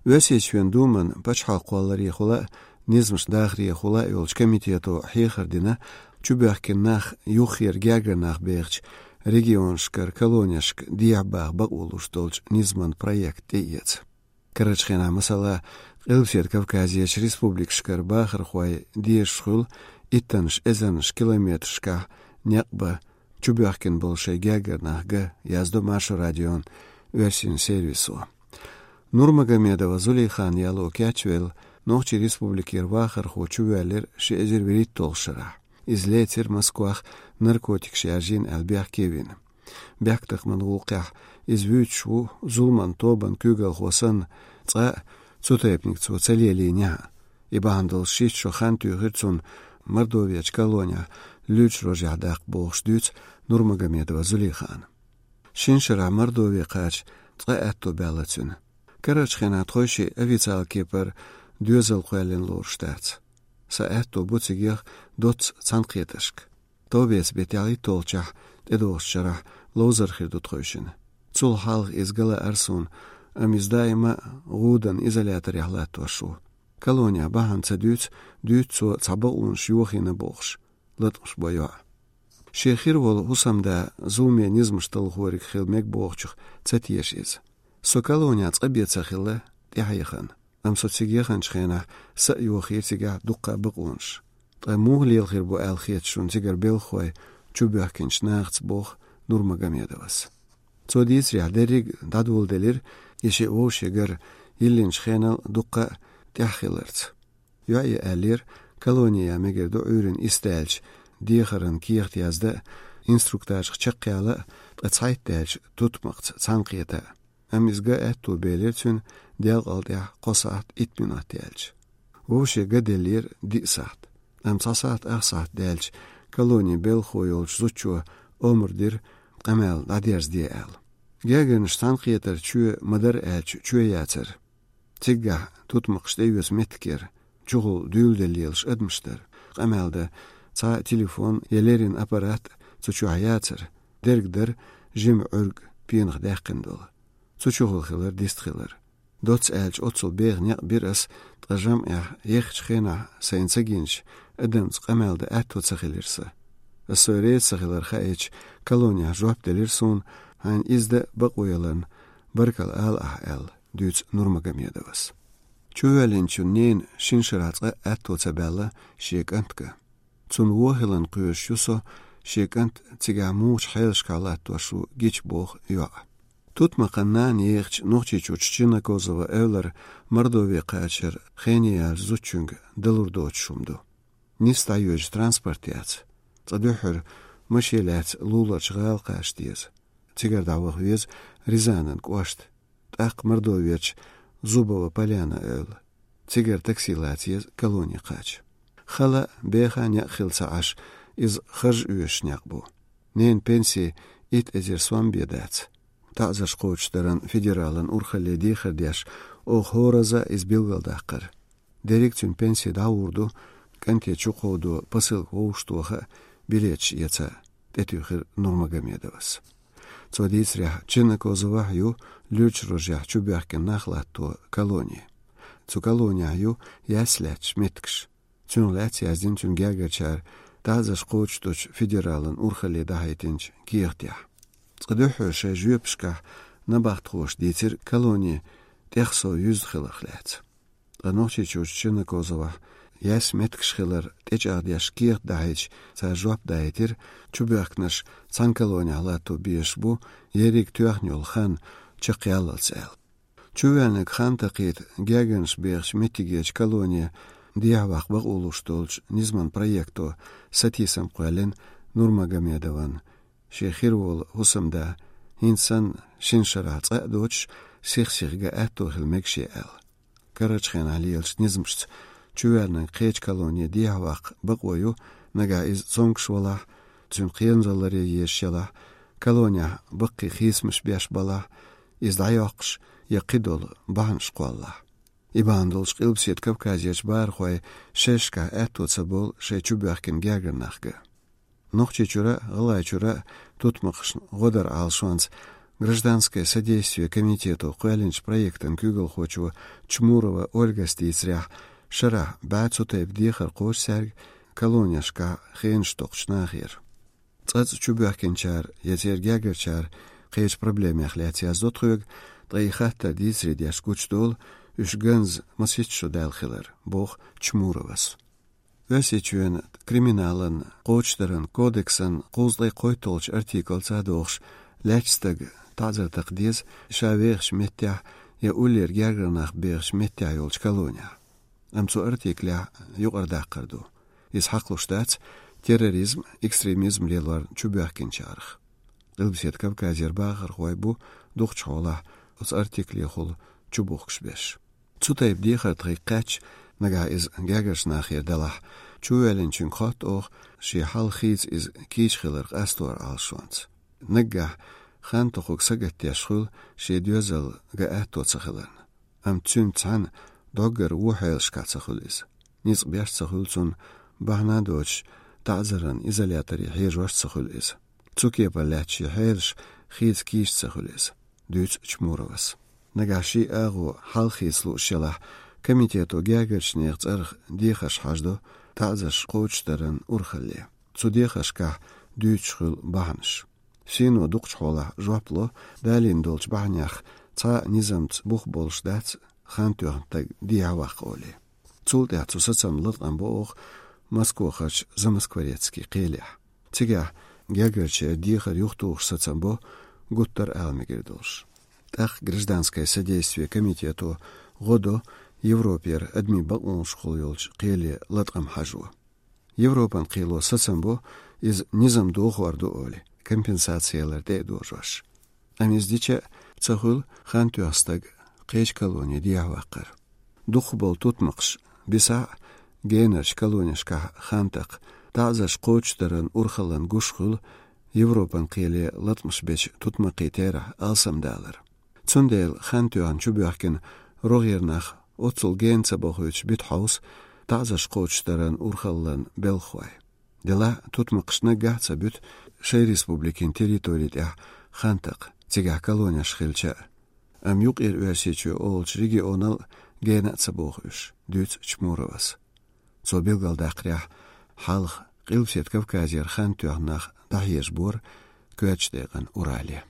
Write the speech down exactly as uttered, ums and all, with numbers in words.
Оьрсийчоьнан Думан пачхьалкх кхолларехула а, низамаш дахарехула а йолчу комитето хьехар дина, чубоьхкина нах юххера гергара нах бехачу регионашкара колонешка дехьа баха бакъо луш долчу низаман проект тӀеэца. Карарчу хенахь, масала, Къилбаседа Кавказерчу республикашкара бахархой дезаш хуьлу иттаннаш эзарнаш километрашкахь некъ бан, чубоьхкина болу шайн гергара нах ган, яздо Маршо радион оьрсийн сервисо. Нурмагомедова Зулейхана яло кечвелла, Нохчийн республикера вахархо чувоьллира ши эзар вуьрхӀитталгӀачу шарахь. Иза лецира Москвахь наркотикаш яржийна аьлла бехке вина. Бехктакхаман гӀуллакхехь иза вуьйцуш ву, зуламан тобанан куьйгалхо санна, цкъа а цу тайпаниг цо ца лелийнехь а. И бахьана долуш шийтта шо хан туьйхира цунна Мордоверчу колонехь луьрачу рожехь даккха бохуш дуьйцу Нурмагомедова Зулейхана. Шина шарахь Мордове кхача цкъа аьтто баьлла цуьнан. Карарчу хенахь тхойшиъ официалан кепара доьзал кхоьллина лоруш дац. Сан аьтто бу цигех доцца цхьаьнакхетаршка. Товбеца беттехь итталгӀачохь тӀедогӀучу шарахь ловзар хир ду тхойшинна. Цул хьалха иза ган лаьара суна, амма иза даима а гӀуданан изоляторехь латтош ву. Колонехь бахьана ца дуьйцу, дуьйцу цо цхьа бакъонаш йохийна бохуш, латкъаш бо йоӀ. Шен хир волу хӀусамда зуламе низамаш талхориг хила мега бохучух ца теша иза. Со колонехь цкъа бен ца хилла, тӀаьхьа яхана. Амма со цига яханчу хенахь са а йохийра цигахь дуккха а бакъонаш. Ткъа муха лела хир бу аьлла хета шуна цигара белхахой чубоьхкинчу нахаца, боху Нурмагомедовас. Цо дийцарехь, дерриг а дӀадоладелира и шиъ вовшех гар йиллинчу хенал дуккха а тӀаьхьа хиларца. ЙоӀе аьллера, колоне ян мегар ду Ӏуьйранна исс даьлча дехаран кехат язда а, инструктажах чекхъяла а, ткъа цхьайтта даьлча тутмакхца цхьаьнакхета а. Амма иза ган аьтто белира цуьнан делкъал тӀаьхьа кхо сахьт итт минот яьлча. Вовше ган деллера диъ сахьт. Амма цхьа сахьт, ах сахьт даьлча колонин белхахо йолчу зудчо омра дира къамел дӀадерзаде аьлла. Гергарнаш цхьаьнакхетар чоь ма-дарра аьлча чоь яцара. Циггахь тутмакхаш тӀеоьцу меттиг яра, чухула дуьйладелла лелаш адамаш дара. Къамел дан цхьа телефон я леррина аппарат цу чохь яцара, дерг дара жима Ӏуьрг пенах даьккхина долу. Цу чухула хилар дистхилар. Доцца аьлча, оццул беха некъ бира ас, ткъа жамӀехь ехачу хенахь сайна ца гинчу адамца къамел дан аьтто ца хилира сан. Ас сой реза ца хилар хаийтича, колонехь жоп делира суна, хьайна иза дан бакъо яларна баркалла ала ахь аьлла, дуьйцу Нурмагомедовас. Чувоьллинчун ненан шина шарахь цкъа а аьтто ца баьлла шен кӀант ган. Цунна вон хиларна кхоьруш ю со, шен кӀант цигахь муха хьелашкахь латтош ву гича, боху йоӀа. Тутмакхан нана ехачу Нохчийчуьрчу Чинокозова эвлара Мордове кхачар хене яьллачу зудчуьнга далур доцуш хӀума ду. Нисса дӀайоьдуш транспорт яц. Цкъа дуьххьара машен лаьцна луларчу гӀала кхача деза. Цигара дӀаваха веза Рязанан кӀошта, тӀаккха Мордоверчу Зубова Поляна эвла. Цигара такси лаца еза колоне кхача. Хала а, беха а некъ хилла ца Ӏаш, иза харж оьшуш некъ бу. Ненан пенси итт эзар сом бен дац. ТаӀзарш кхочушдаран федералан урхалле дехар деш, оха хӀоразза иза билгалдаккхара. Дерриг а цуьнан пенси дӀагӀур ду, кӀанте чукховдо посылка вовшахтоха а, билеташ эца а, тӀетуьйхира Нурмагомедовас. Цо дийцарехь, Чинокозовахь ю луьрачу рожехь чубоьхкина нах латто колони. Цу колонехь ю яьсса лаьтташ меттигаш. Цунах лаьцна яздина цуьнан гергарчара таӀзарш кхочушдечу федералан урхалле дахьийтинчу кехатехь. Цкъа дуьххьара шайн жоьпашкахь набахтхоша дийцира колони тӀех сов юьзна хиларх лаьцна. Ткъа Нохчийчуьрчу Чинокозовахь яьсса меттигаш хилар тӀечӀагӀдеш кехат дахьийтича, цара жоп даийтира, чубоьхкинарш цхьана колонехь латто безаш бу, ерриг тоьхна йолу хан чекхъяллалц аьлла. Чувоьллинарг хан такхийта гергарнаш бехачу меттигерчу колоне дехьаваккха бакъо луш долчу низаман проекто сатийсам кхоьллина Нурмагомедовна, шен хир волу хӀусамда, хӀинца санна, шина шарахь цкъа а доцуш, сих-сиха ган аьтто хила мега шен аьлла. Карарчу хенахь лелачу низамашца чувоьллинарг кхечу колоне дехьаваккха бакъо ю, нагахь иза цомгуш валахь, цуьнан кхерамзалле езаш ялахь, колонехь баккхий хийцамаш беш балахь, иза дӀайоккхуш я кхидолу бахьанаш кхоллахь. И бахьана долуш Къилбаседа Кавказерчу бахархой шерашкахь аьтто ца болу шайн чубоьхкина гергара нах ган. Нохчийчуьра а, ГӀалгӀайчуьра а тутмакхашна гӀо дар Ӏалашонца Гражданское содействие комитето кхоьллинчу проектан куьйгалхочо Чмурова Ольгас дийцарехь, шарахь бӀе цу тайпа дехар кхочу цаьрга колонешкахь хенаш токхучу нахера. Цкъацкъа чубоьхкинчара я церан гергарчара кхечу проблемех лаьцна яздо тхоьга, ткъа и хаттар дийцаре деш гучудолу, уьш ганза масийтта шо даьлла хилар, боху Чмуровас. Оьрсийчоьнан криминалан кхочушдаран кодексан кхузткъе кхойтталгӀачу артиклаца догӀуш, лаьттачу стага таӀзар такха деза ша вехачу меттехь я уллера гергара нах бехачу меттехь йолчу колонехь. Амма цу артиклехь юкъара даккхар ду. Иза хьакхалуш дац терроризм, экстремизм лелорна чубоьхкинчарах. Къилбаседа Кавказера бахархой бу дукхачу хьолахь оцу артиклехула чубухкуш берш. Цу тайпа дехар тхайга кхаьчча, нагахь иза гергарчу нахера делахь, чувоьллинчуьнга хотту оха, шен хьал хийца иза кийча хилар къастор Ӏалашонца. Наггахь хан тохург сагатдеш хуьлу шен доьзал ган атто ца хиларна. Амма цуьнца цхьаьна доггара вон хьелашкахь ца хуьлу иза. Ницкъ беш ца хуьлу цунна, бахьана а доцуш, таӀзаран изоляторе хьежош а ца хуьлу иза. Цу кепара лаьтташ шен хьелаш хийца кийча ца хуьлу иза, дуьйцу Чмуровас. Нагахь шен агӀо хьал хийца лууш елахь, комитето гергарчу нехан цӀарах дехарш хьаждо таӀзарш кхочушдаран урхалле. Цу дехаршкахь дуьйцуш хуьлу бахьанаш. Сийно дукхачу хьолахь жоп ло, далийна долчу бахьанех цхьа а низамца бух болуш дац хан тоьхна стаг дехьаваккха олий. Цул тӀаьхьа цу сацамна латкъам бо оха Москохарчу Замоскворецкий кхелехь. Цигахь гергарчеран дехар юхатухуш сацам бо, гуттар а ала мегар долуш. ТӀаккха гражданское содействие комитето гӀо до Европера адамийн бакъонашкахула йолчу кхеле латкъам хьажо. Европан кхело сацам бо, иза низам дохор ду олий, компенсаци ялар тӀе а дожош. Амма иза дича а ца хуьлу хан тоьхна стаг кхечу колоне дехьаваккхар. Дукхахболу тутмакхаш бисахь а генарчу колонешкахь хан такха, таӀзарш кхочушдаран урхаллан гуш хуьлу Европан кхеле латкъамаш бечу тутмакхийн терахь алсамдалар. Цундела хан тоьхна чубоьхкина рогӀера нах оццул гена ца бохуьйтуш бита хьовса таӀзарш кхочушдаран урхаллан белхахой. Делахь а тутмакхаш наггахь а ца буьту шайн республикин территори тӀехь хан такха, цигахь колонеш хилча а. Амма Юккъера Оьрсийчоь олучу регионал гена а ца боху уьш, дуьйцу Чмуровас. Цо билгалдаккхарехь, хьалха Къилбаседа Кавказера хан тоьхна нах дӀахьежабора коьртачу декъана Урале.